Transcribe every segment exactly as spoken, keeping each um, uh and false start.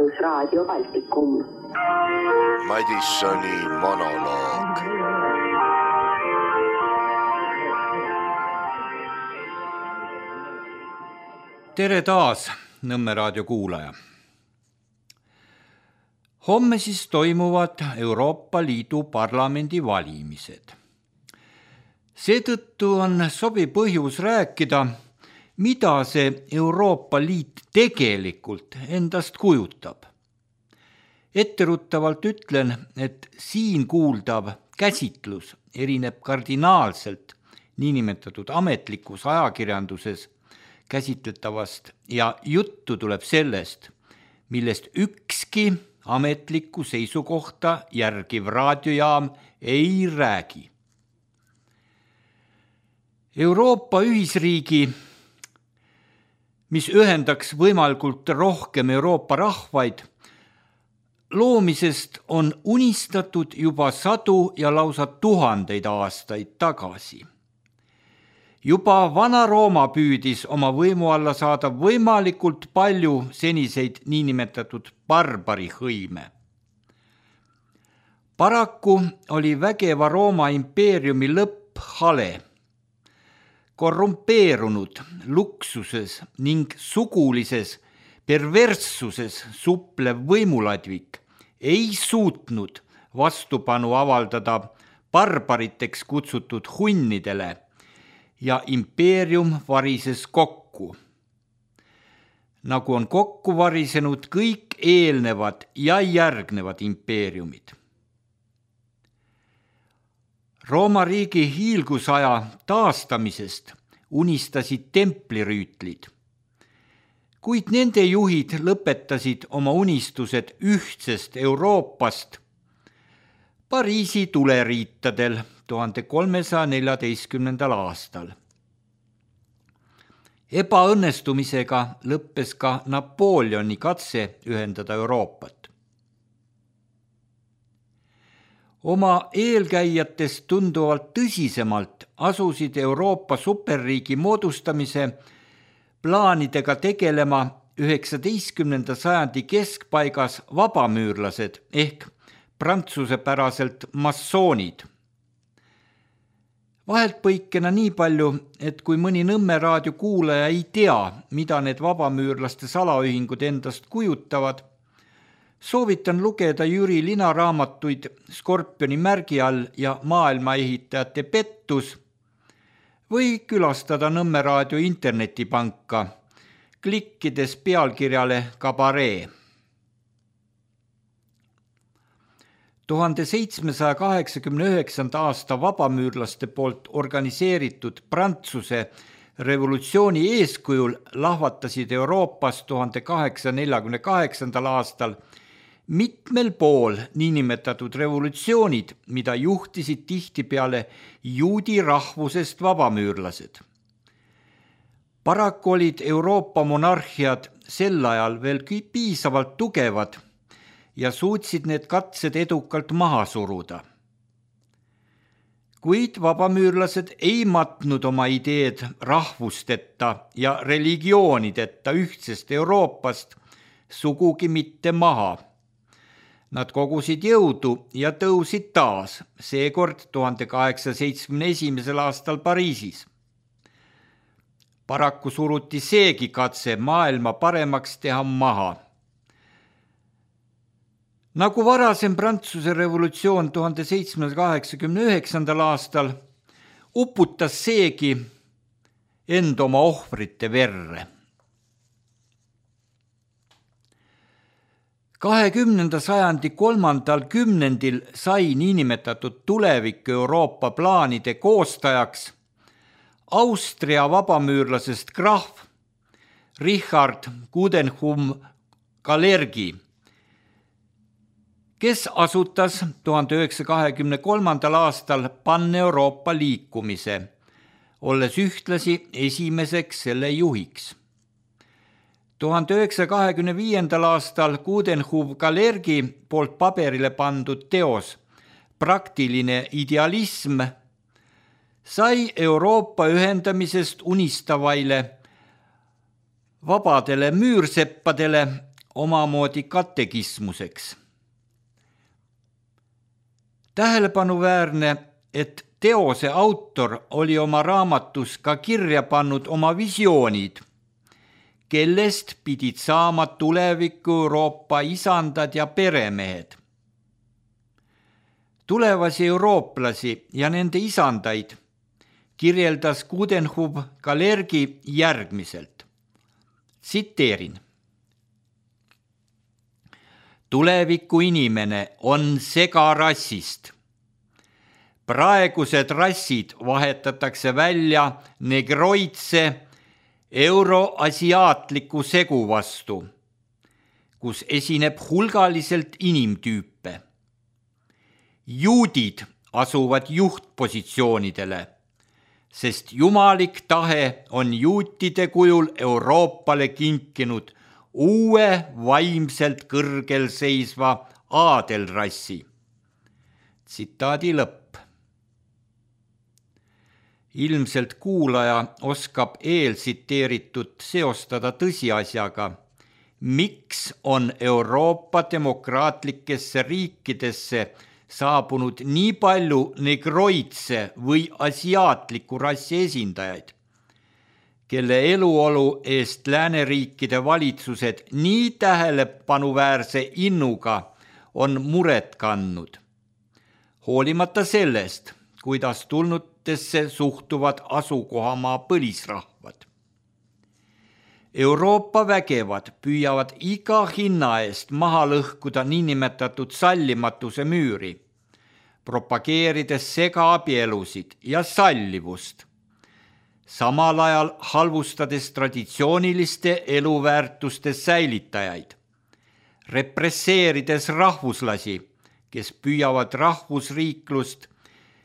Rahvusraadio Baltikum. Madissoni monoloog. Tere taas, Nõmme raadio kuulaja. Homme siis toimuvad Euroopa Liidu parlamendi valimised. Seetõttu on sobi põhjus rääkida, mida see Euroopa Liit tegelikult endast kujutab. Etteruttavalt ütlen, et siin kuuldav käsitlus erineb kardinaalselt niinimetatud ametlikus ajakirjanduses käsitletavast ja juttu tuleb sellest, millest ükski ametlikku seisukohta järgiv raadiojaam ei räägi. Euroopa ühisriigi, mis ühendaks võimalikult rohkem Euroopa rahvaid, loomisest on unistatud juba sadu ja lausa tuhandeid aastaid tagasi. Juba Vana-Rooma püüdis oma võimu alla saada võimalikult palju seniseid niinimetatud barbarihõime. Paraku oli vägeva Rooma impeeriumi lõpp hale. Korrumpeerunud luksuses ning sugulises perverssuses suplev võimuladvik ei suutnud vastupanu avaldada barbariteks kutsutud hunnidele ja impeerium varises kokku. Nagu on kokku varisenud kõik eelnevad ja järgnevad impeeriumid. Rooma riigi hiilgusaja taastamisest unistasid templirüütlid, kuid nende juhid lõpetasid oma unistused ühtsest Euroopast Pariisi tuleriitadel tuhande kolmesaja neljateistkümnendal aastal. Ebaõnnestumisega lõppes ka Napoleoni katse ühendada Euroopat. Oma eelkäijatest tunduvalt tõsisemalt asusid Euroopa superriigi moodustamise plaanidega tegelema üheksateistkümnenda sajandi keskpaigas vabamüürlased ehk prantsusepäraselt massoonid. Vahelt põikena nii palju, et kui mõni Nõmme raadio kuulaja ei tea, mida need vabamüürlaste salaühingud endast kujutavad, soovitan lugeda Jüri Lina raamatuid Skorpioni märgi all ja maailmaehitajate pettus või külastada Nõmme raadio internetipanka, klikkides pealkirjale Kabaree. tuhande seitsmesaja kaheksakümne üheksanda aasta vabamüürlaste poolt organiseeritud Prantsuse revolutsiooni eeskujul lahvatasid Euroopas tuhande kaheksasaja neljakümne kaheksandal aastal mitmel pool niinimetatud revolutsioonid, mida juhtisid tihtipeale juudi rahvusest vabamüürlased. Paraku olid Euroopa monarhiad sel ajal veel piisavalt tugevad ja suutsid need katsed edukalt maha suruda. Kuid vabamüürlased ei matnud oma ideed rahvusteta ja religioonideta ühtsest Euroopast sugugi mitte maha. Nad kogusid jõudu ja tõusid taas, seekord tuhande kaheksasaja seitsmekümne esimesel aastal Pariisis. Paraku suruti seegi katse maailma paremaks teha maha. Nagu varasem Prantsuse revolutsioon tuhande seitsmesaja kaheksakümne üheksandal aastal uputas seegi end oma ohvrite verre. kahekümnenda sajandi kolmandal kümnendil sai niinimetatud tulevik Euroopa plaanide koostajaks Austria vabamüürlasest krahv Richard Coudenhove-Kalergi, kes asutas tuhande üheksasaja kahekümne kolmandal aastal Pan-Euroopa liikumise, olles ühtlasi esimeseks selle juhiks. tuhande üheksasaja kahekümne viiendal aastal Coudenhove-Kalergi poolt paberile pandud teos Praktiline idealism sai Euroopa ühendamisest unistavaile vabadele müürseppadele omamoodi katekismuseks. Tähelepanuväärne, et teose autor oli oma raamatus ka kirja pannud oma visioonid, kellest pidid saama tuleviku Euroopa isandad ja peremehed. Tulevasi eurooplasi ja nende isandaid kirjeldas Coudenhove-Kalergi järgmiselt. Tsiteerin. Tuleviku inimene on segarassist. Praegused rassid vahetatakse välja negroidse euroasiaatliku segu vastu, kus esineb hulgaliselt inimtüüpe. Juudid asuvad juhtpositsioonidele, sest jumalik tahe on juutide kujul Euroopale kinkinud uue vaimselt kõrgel seisva aadelrassi. Tsitaadi lõpp. Ilmselt kuulaja oskab eeltsiteeritud seostada tõsiasjaga, miks on Euroopa demokraatlikesse riikidesse saabunud nii palju negroidse või asiaatliku rassi esindajaid, kelle eluolu eest lääneriikide valitsused nii tähelepanuväärse innuga on muret kandnud. Hoolimata sellest, kuidas tulnutesse suhtuvad asukohamaa põlisrahvad. Euroopa vägevad püüavad iga hinna eest maha lõhkuda niinimetatud sallimatuse müüri, propageerides segaabielusid ja sallivust, samal ajal halvustades traditsiooniliste eluväärtuste säilitajaid, represseerides rahvuslasi, kes püüavad rahvusriiklust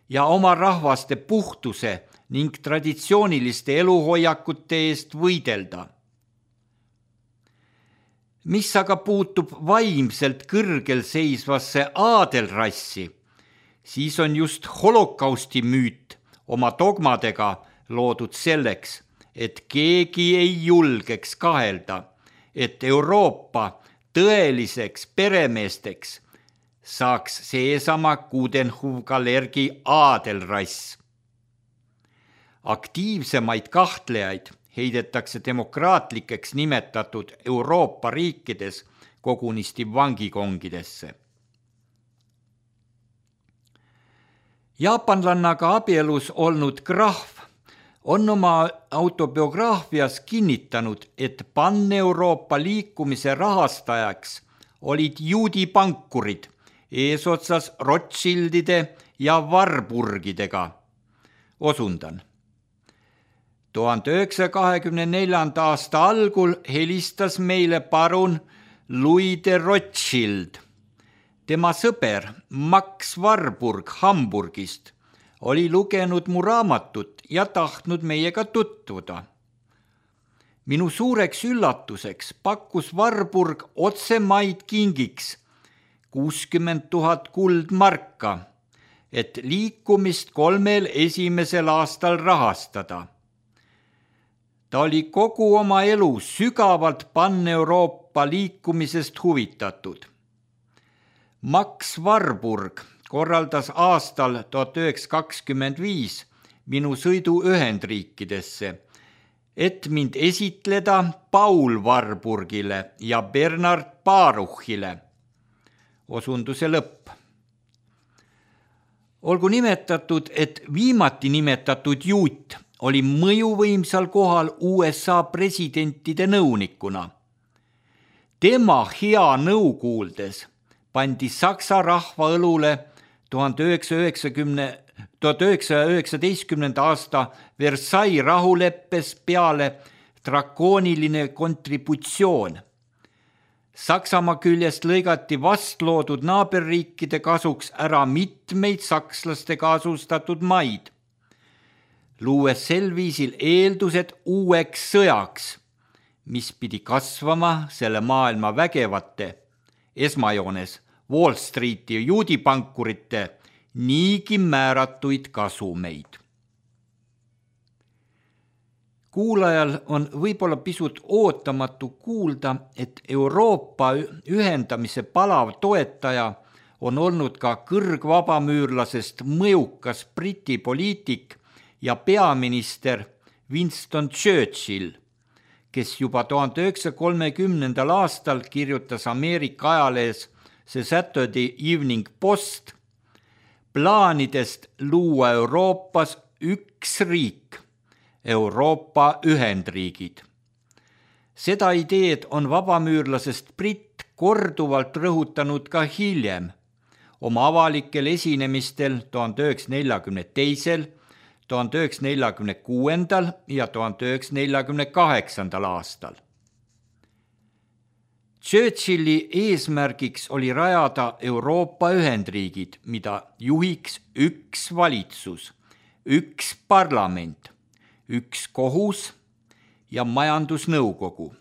ja oma rahvaste puhtuse ning traditsiooniliste eluhoiakute eest võidelda. Mis aga puutub vaimselt kõrgel seisvasse aadelrassi, siis on just holokausti müüt oma dogmadega loodud selleks, et keegi ei julgeks kahelda, et Euroopa tõeliseks peremeesteks saaks seesama Coudenhove-Kalergi aadelrass. Aktiivsemaid kahtlejaid heidetakse demokraatlikeks nimetatud Euroopa riikides kogunisti vangikongidesse. Jaapanlannaga abielus olnud Grahv on oma autobiograafias kinnitanud, et pan-Euroopa liikumise rahastajaks olid juudi pankurid eesotsas Rothschildide ja Warburgidega. Osundan. tuhande üheksasaja kahekümne neljanda aasta algul helistas meile parun Louis de Rothschild. Tema sõber Max Warburg Hamburgist oli lugenud mu raamatut ja tahtnud meiega tutvuda. Minu suureks üllatuseks pakkus Warburg otsemaid kingiks kuuskümmend tuhat kuldmarka, et liikumist kolmel esimesel aastal rahastada. Ta oli kogu oma elu sügavalt pan-Euroopa liikumisest huvitatud. Max Warburg korraldas aastal tuhat üheksasada kakskümmend viis minu sõidu Ühendriikidesse, et mind esitleda Paul Warburgile ja Bernard Baruchile. Osunduse lõpp. Olgu nimetatud, et viimati nimetatud juut oli mõjuvõimsal kohal U S A presidentide nõunikuna. Tema hea nõu kuuldes pandi Saksa rahva õlule tuhande üheksasaja üheksateistkümnenda aasta Versailles rahuleppes peale drakooniline kontributsioon. Saksamaa küljest lõigati vastloodud naaberriikide kasuks ära mitmeid sakslastega asustatud maid, luues sel viisil eeldused uueks sõjaks, mis pidi kasvama selle maailma vägevate, esmajoones Wall Streeti juudipankurite niigi määratuid kasumeid. Kuulajal on võib-olla pisut ootamatu kuulda, et Euroopa ühendamise palav toetaja on olnud ka kõrgvabamüürlasest mõjukas Briti poliitik ja peaminister Winston Churchill, kes juba tuhande üheksasaja kolmekümnendal aastal kirjutas Ameerika ajalehes The Saturday Evening Post plaanidest luua Euroopas üks riik, Euroopa Ühendriigid. Seda ideed on vabamüürlasest Britt korduvalt rõhutanud ka hiljem, oma avalikel esinemistel tuhande üheksasaja neljakümne teisel, tuhande üheksasaja neljakümne kuuendal ja tuhande üheksasaja neljakümne kaheksandal aastal. Churchilli eesmärgiks oli rajada Euroopa Ühendriigid, mida juhiks üks valitsus, üks parlament, üks kohus ja majandusnõukogu.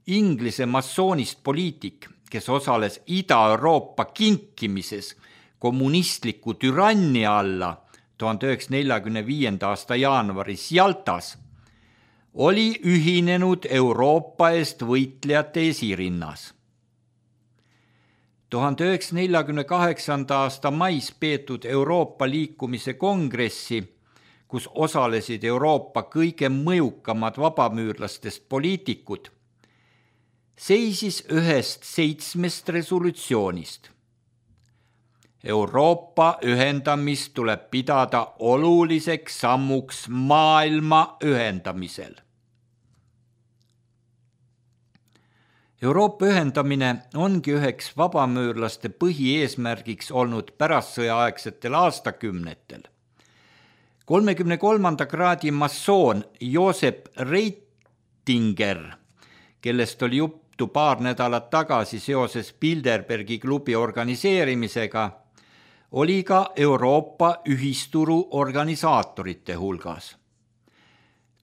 Inglise massoonist poliitik, kes osales Ida-Euroopa kinkimises kommunistliku türannia alla tuhande üheksasaja neljakümne viienda aasta jaanuaris Jaltas, oli ühinenud Euroopa eest võitlejate esirinnas. tuhande üheksasaja neljakümne kaheksanda aasta mais peetud Euroopa liikumise kongressi, kus osalesid Euroopa kõige mõjukamad vabamüürlastest poliitikud, seisis ühest seitsmest resolutsioonist. Euroopa ühendamist tuleb pidada oluliseks sammuks maailma ühendamisel. Euroopa ühendamine ongi üheks vabamüürlaste põhieesmärgiks olnud pärastsõjaaegsetel aastakümnetel. kolmekümne kolmanda kraadi massoon Josep Reitinger, kellest oli juttu paar nädalat tagasi seoses Bilderbergi klubi organiseerimisega, oli ka Euroopa ühisturu organisaatorite hulgas.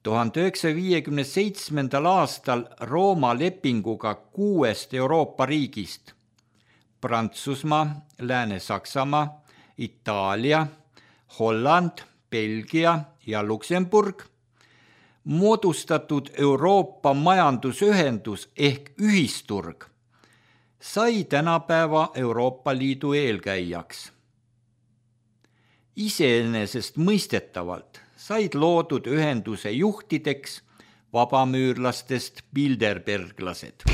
tuhande üheksasaja viiekümne seitsmendal aastal Rooma lepinguga kuuest Euroopa riigist, Prantsusmaa, Lääne-Saksamaa, Itaalia, Holland, Belgia ja Luksemburg, moodustatud Euroopa majandusühendus ehk ühisturg sai tänapäeva Euroopa Liidu eelkäijaks. Iseenesest mõistetavalt said loodud ühenduse juhtideks vabamüürlastest bilderberglased.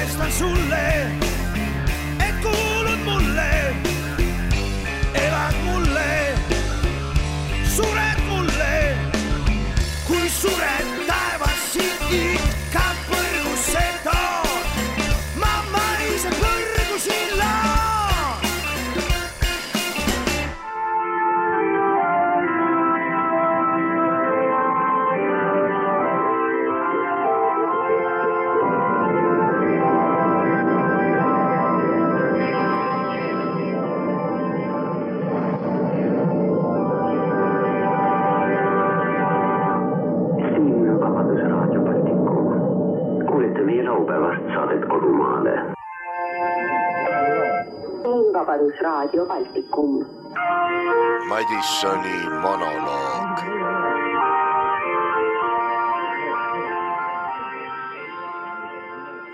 tõestan sulle, et kuulud mulle, elad mulle, sured mulle, kui sured taevas siit ikka põrgusse tood, ma maised põrgusin laad. Vabadusraadio Baltikum. Madissoni monoloog.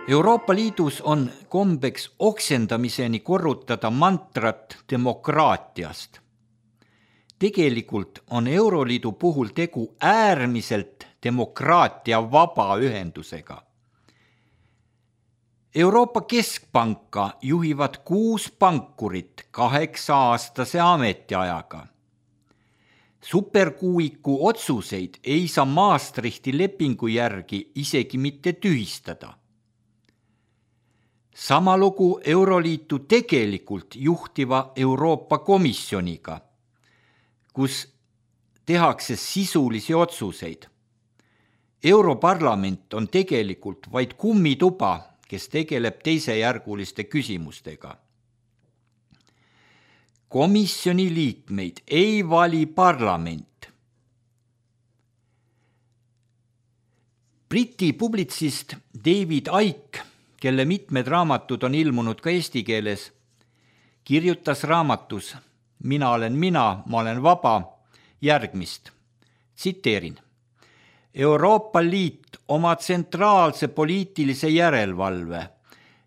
Euroopa Liidus on kombeks oksendamiseni korrutada mantrat demokraatiast. Tegelikult on Euroliidu puhul tegu äärmiselt demokraatia vaba ühendusega. Euroopa Keskpanka juhivad kuus pankurit kaheksa aastase ametiajaga. Superkuuiku otsuseid ei saa Maastrichti lepingu järgi isegi mitte tühistada. Sama lugu Euroliitu tegelikult juhtiva Euroopa Komisjoniga, kus tehakse sisulisi otsuseid. Europarlament on tegelikult vaid kummituba, kes tegeleb teisejärguliste küsimustega. Komisjoni liikmeid ei vali parlament. Briti publitsist David Icke, kelle mitmed raamatud on ilmunud ka eesti keeles, kirjutas raamatus Mina olen mina, ma olen vaba järgmist. Tsiteerin. Euroopa Liit oma tsentraalse poliitilise järelevalve,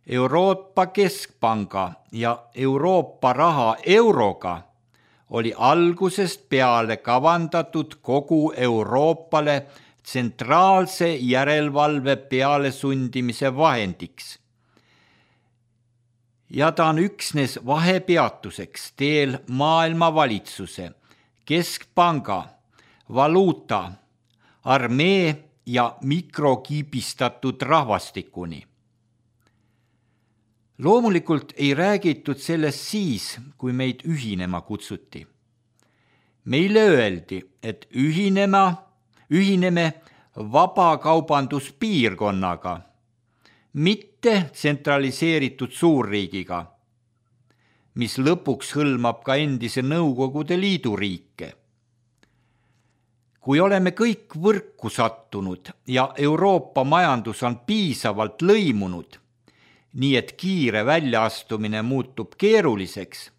Euroopa Keskpanga ja Euroopa raha euroga oli algusest peale kavandatud kogu Euroopale tsentraalse järelevalve peale sundimise vahendiks. Ja ta on üksnes vahepeatuseks teel maailmavalitsuse, Keskpanga, valuuta, armee ja mikrokiibistatud rahvastikuni. Loomulikult ei räägitud sellest siis, kui meid ühinema kutsuti. Meile öeldi, et ühinema, ühineme vabakaubanduspiirkonnaga, mitte tsentraliseeritud suurriigiga, mis lõpuks hõlmab ka endise Nõukogude Liidu riike. Kui oleme kõik võrku sattunud ja Euroopa majandus on piisavalt lõimunud, nii et kiire väljaastumine muutub keeruliseks,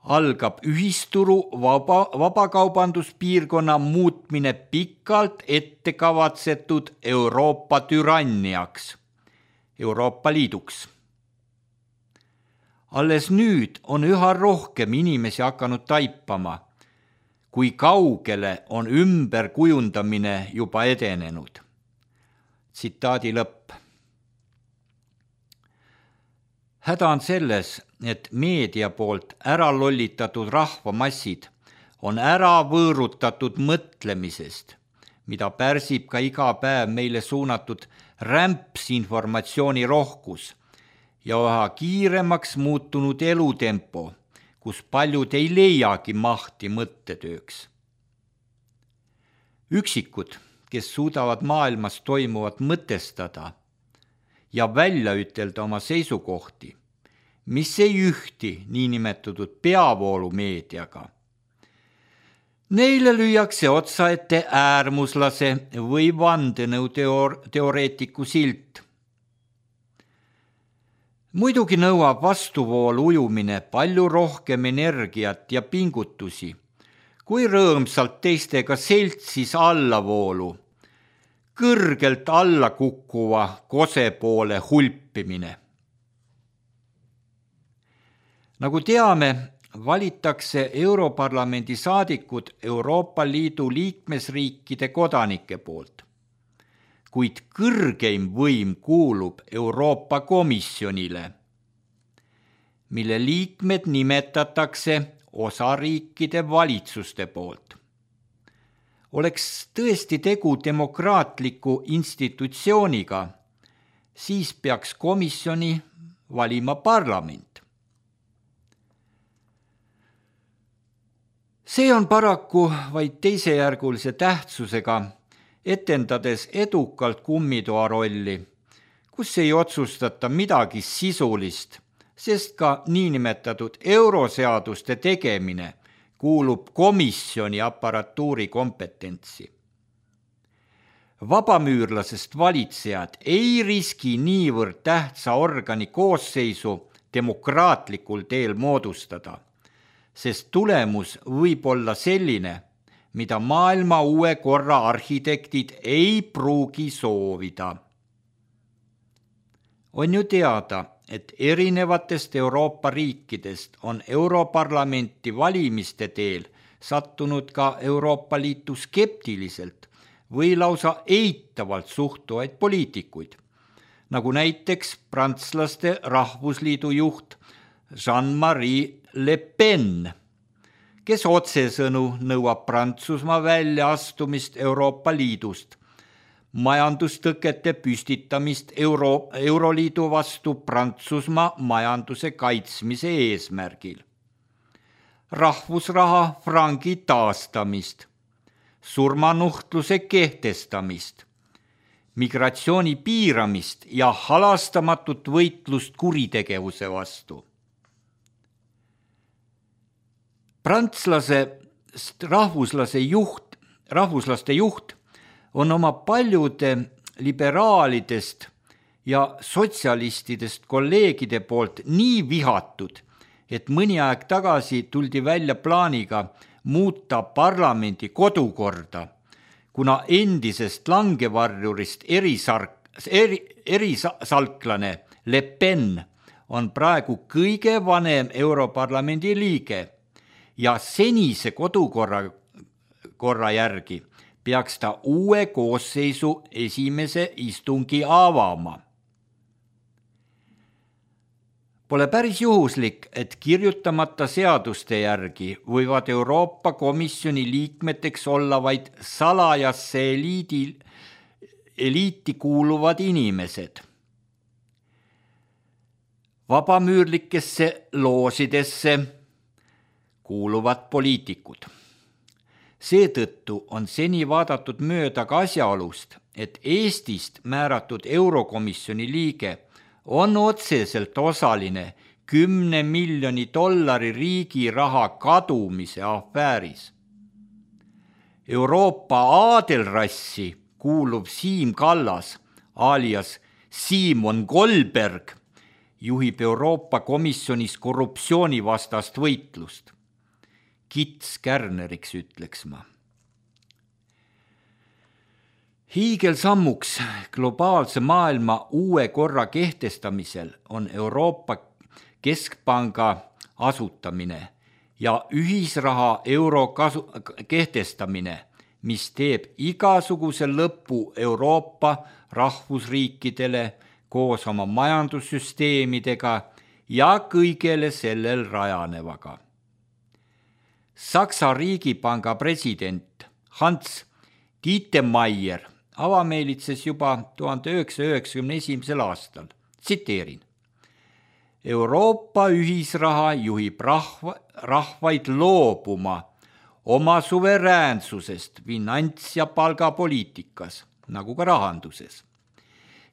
algab ühisturu vaba, vabakaubanduspiirkonna muutmine pikalt ettekavatsetud Euroopa türanniaks, Euroopa Liiduks. Alles nüüd on üha rohkem inimesi hakanud taipama, kui kaugele on ümberkujundamine juba edenenud. Tsitaadi lõpp. Häda on selles, et meedia poolt ära lollitatud rahvamassid on ära võõrutatud mõtlemisest, mida pärsib ka iga päev meile suunatud rämps informatsiooni rohkus ja üha kiiremaks muutunud elutempo, kus paljud ei leiagi mahti mõttetööks. Üksikud, kes suudavad maailmas toimuvat mõtestada ja välja ütelda oma seisukohti, mis ei ühti niinimetatud peavoolumeediaga. Neile lüüakse otsa ette äärmuslase või vandenõuteoreetiku silt. Muidugi nõuab vastuvoolu ujumine palju rohkem energiat ja pingutusi, kui rõõmsalt teistega seltsis allavoolu, kõrgelt alla kukkuva kose poole hulpimine. Nagu teame, valitakse Europarlamendi saadikud Euroopa Liidu liikmesriikide kodanike poolt. kuid kõrgeim võim kuulub Euroopa Komisjonile, mille liikmed nimetatakse osariikide valitsuste poolt. Oleks tõesti tegu demokraatliku institutsiooniga, siis peaks komisjoni valima parlament. See on paraku vaid teisejärgulise tähtsusega, etendades edukalt kummitoa rolli, kus ei otsustata midagi sisulist, sest ka niinimetatud euroseaduste tegemine kuulub komisjoni aparatuuri kompetentsi. Vabamüürlasest valitsejad ei riski niivõrd tähtsa organi koosseisu demokraatlikul teel moodustada, sest tulemus võib olla selline, mida maailma uue korra arhitektid ei pruugi soovida. On ju teada, et erinevatest Euroopa riikidest on Europarlamenti valimiste teel sattunud ka Euroopa Liitu skeptiliselt või lausa eitavalt suhtuvaid poliitikuid, nagu näiteks prantslaste rahvusliidu juht Jean-Marie Le Pen, kes otsesõnu nõuab Prantsusmaa väljaastumist Euroopa Liidust, majandustõkete püstitamist Euro, Euroliidu vastu Prantsusmaa majanduse kaitsmise eesmärgil, rahvusraha frangi taastamist, surmanuhtluse kehtestamist, migratsiooni piiramist ja halastamatut võitlust kuritegevuse vastu. Prantslase rahvuslase juht, rahvuslaste juht on oma paljude liberaalidest ja sotsialistidest kolleegide poolt nii vihatud, et mõni aeg tagasi tuldi välja plaaniga muuta parlamendi kodukorda, kuna endisest langevarjurist erisark, eri, erisalklane Le Pen on praegu kõige vanem Europarlamendi liige ja senise kodukorra korra järgi peaks ta uue koosseisu esimese istungi avama. Pole päris juhuslik, et kirjutamata seaduste järgi võivad Euroopa Komisjoni liikmeteks olla vaid salajasse eliidi, eliiti kuuluvad inimesed. Vabamüürlikesse loosidesse kuuluvad poliitikud. Seetõttu on seni vaadatud mööda ka asjaolust, et Eestist määratud Eurokomisjoni liige on otseselt osaline kümne miljoni dollari riigi raha kadumise afääris. Euroopa aadelrassi kuuluv Siim Kallas, alias Simon Goldberg, juhib Euroopa Komisjonis korruptsioonivastast võitlust. Kits Kärneriks ütleks ma. Hiigelsammuks globaalse maailma uue korra kehtestamisel on Euroopa Keskpanga asutamine ja ühisraha euro kasu- kehtestamine, mis teeb igasuguse lõpu Euroopa rahvusriikidele koos oma majandussüsteemidega ja kõigele sellel rajanevaga. Saksa riigipanga president Hans Tietmeyer avameelitses juba tuhande üheksasaja üheksakümne esimesel aastal. Tsiteerin. Euroopa ühisraha juhib rahva, rahvaid loobuma oma suveräänsusest finants- ja palgapoliitikas, nagu ka rahanduses.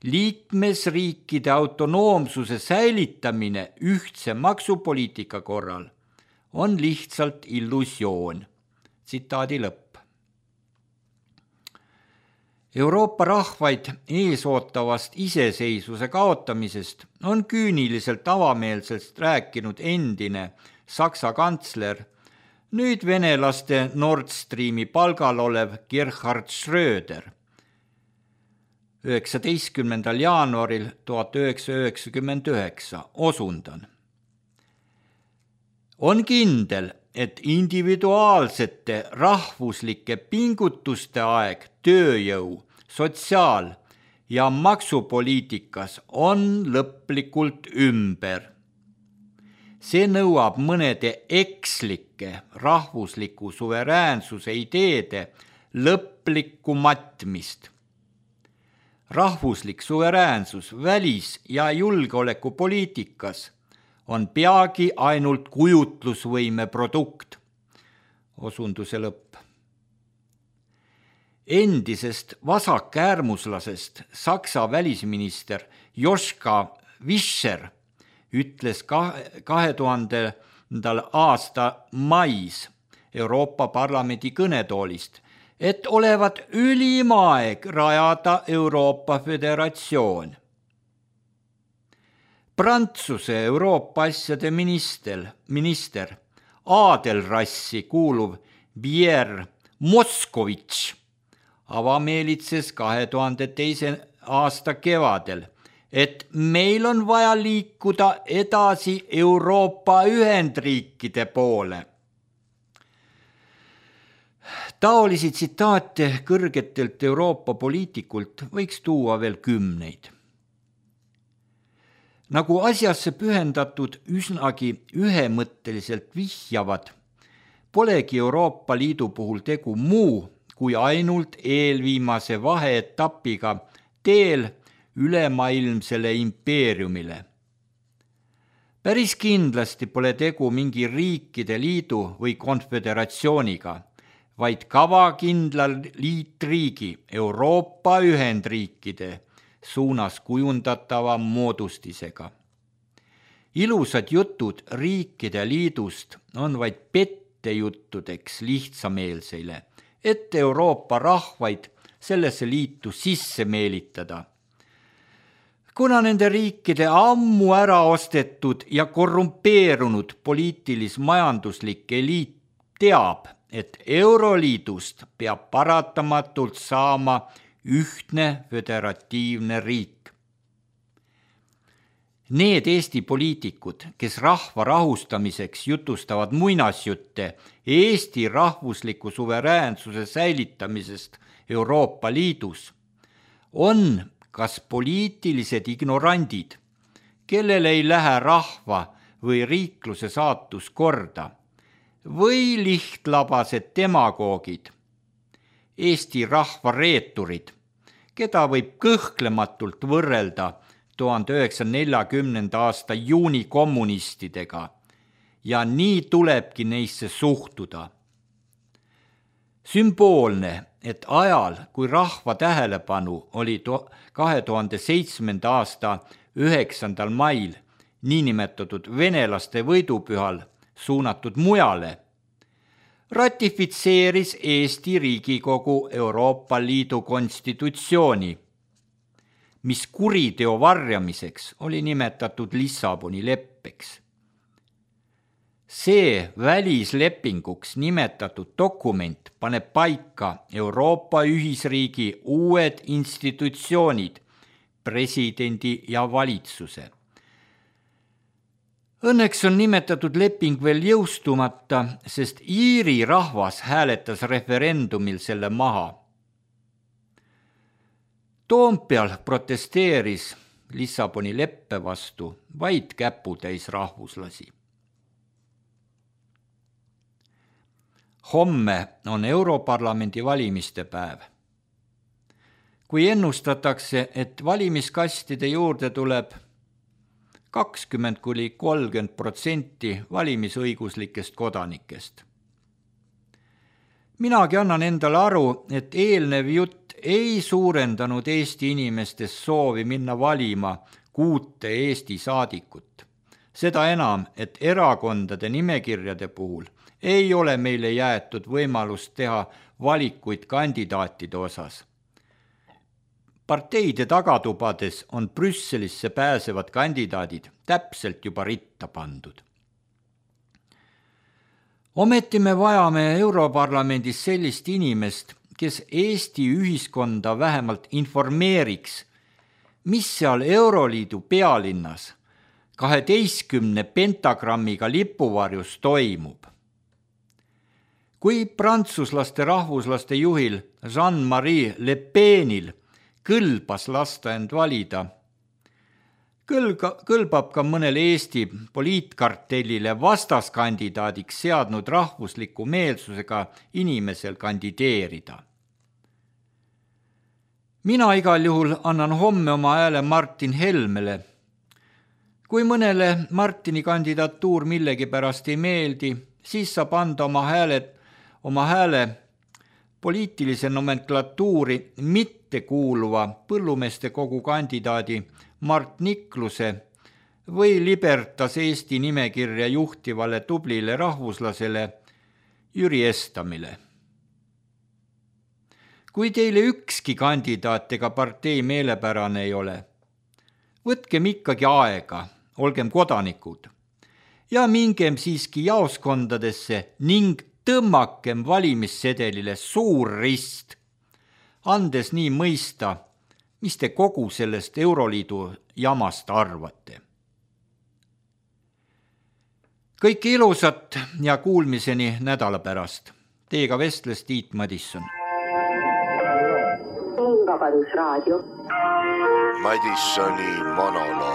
Liikmesriikide autonoomsuse säilitamine ühtse maksupoliitika korral on lihtsalt illusioon. Tsitaadi lõpp. Euroopa rahvaid eesootavast iseseisvuse kaotamisest on küüniliselt avameelselt rääkinud endine Saksa kantsler, nüüd venelaste Nord Streami palgal olev Gerhard Schröder. üheksateistkümnendal jaanuaril tuhat üheksasada üheksakümmend üheksa osundan. On kindel, et individuaalsete rahvuslike pingutuste aeg tööjõu, sotsiaal- ja maksupoliitikas on lõplikult ümber. See nõuab mõnede ekslike rahvusliku suveräänsuse ideede lõplikku matmist. Rahvuslik suveräänsus välis- ja julgeolekupoliitikas on peagi ainult kujutlusvõime produkt. Osunduse lõpp. Endisest vasakäärmuslasest Saksa välisminister Joschka Fischer ütles kahe tuhandendal aasta mais Euroopa Parlamendi kõnetoolist, et olevat ülim aeg rajada Euroopa Föderatsioon. Prantsuse Euroopa asjade minister, minister Aadelrassi kuuluv Pierre Moskovitš avameelitses kahe tuhande teise aasta kevadel, et meil on vaja liikuda edasi Euroopa Ühendriikide poole. Taolisi tsitaate kõrgetelt Euroopa poliitikult võiks tuua veel kümneid. Nagu asjasse pühendatud üsnagi ühemõtteliselt vihjavad, polegi Euroopa Liidu puhul tegu muu kui ainult eelviimase vaheetapiga teel ülemaailmsele impeeriumile. Päris kindlasti pole tegu mingi riikide liidu või konföderatsiooniga, vaid kavakindlal liitriigi Euroopa Ühendriikide suunas kujundatava moodustisega. Ilusad jutud riikide liidust on vaid pettejuttudeks lihtsameelseile, et Euroopa rahvaid sellesse liitu sisse meelitada. Kuna nende riikide ammu ära ostetud ja korrumpeerunud poliitilis-majanduslik eliit teab, et Euroliidust peab paratamatult saama ühtne föderatiivne riik. Need Eesti poliitikud, kes rahva rahustamiseks jutustavad muinasjutte Eesti rahvusliku suveräänsuse säilitamisest Euroopa Liidus, on kas poliitilised ignorandid, kellel ei lähe rahva või riikluse saatus korda, või lihtlabased demagoogid, Eesti rahva reeturid, keda võib kõhklematult võrrelda tuhande üheksasaja neljakümnenda aasta juuni kommunistidega ja nii tulebki neisse suhtuda. Sümboolne, et ajal, kui rahva tähelepanu oli kahe tuhande seitsmenda aasta üheksandal mail niinimetatud venelaste võidupühal suunatud mujale, ratifitseeris Eesti Riigikogu Euroopa Liidu konstitutsiooni, mis kuriteo varjamiseks oli nimetatud Lissaboni leppeks. See välislepinguks nimetatud dokument paneb paika Euroopa ühisriigi uued institutsioonid, presidendi ja valitsuse. Õnneks on nimetatud leping veel jõustumata, sest Iiri rahvas hääletas referendumil selle maha. Toompeal protesteeris Lissaboni leppe vastu vaid käputäis rahvuslasi. Homme on Europarlamendi valimiste päev. Kui ennustatakse, et valimiskastide juurde tuleb kakskümmend kuni kolmkümmend protsenti valimisõiguslikest kodanikest. Minagi annan endale aru, et eelnev jutt ei suurendanud Eesti inimestes soovi minna valima kuute Eesti saadikut. Seda enam, et erakondade nimekirjade puhul ei ole meile jäetud võimalust teha valikuid kandidaatide osas. Parteide tagatubades on Brüsselisse pääsevad kandidaadid täpselt juba ritta pandud. Ometi me vajame Europarlamendis sellist inimest, kes Eesti ühiskonda vähemalt informeeriks, mis seal Euroliidu pealinnas kaheteistkümne pentagrammiga lipuvarjus toimub. Kui prantsuslaste rahvuslaste juhil Jean-Marie Le Penil kõlbas lasta end valida. Kõlga, kõlbab ka mõnel Eesti poliitkartellile vastaskandidaadiks seadnud rahvusliku meelsusega inimesel kandideerida. Mina igal juhul annan homme oma hääle Martin Helmele. Kui mõnele Martini kandidatuur millegipärast ei meeldi, siis saab anda oma hääle, oma hääle poliitilise nomenklatuuri mitte kuuluva põllumeeste kogu kandidaadi Mart Nikluse või Libertas Eesti nimekirja juhtivale tublile rahvuslasele Jüri Estamile. Kui teile ükski kandidaat ega partei meelepärane ei ole, võtkem ikkagi aega, olgem kodanikud ja mingem siiski jaoskondadesse ning tõmmakem valimissedelile suur rist, andes nii mõista, mis te kogu sellest Euroliidu jamast arvate. Kõike ilusat ja kuulmiseni nädala pärast. Teiega vestles Tiit Madisson. Vabadusraadio. Madissoni monoloog.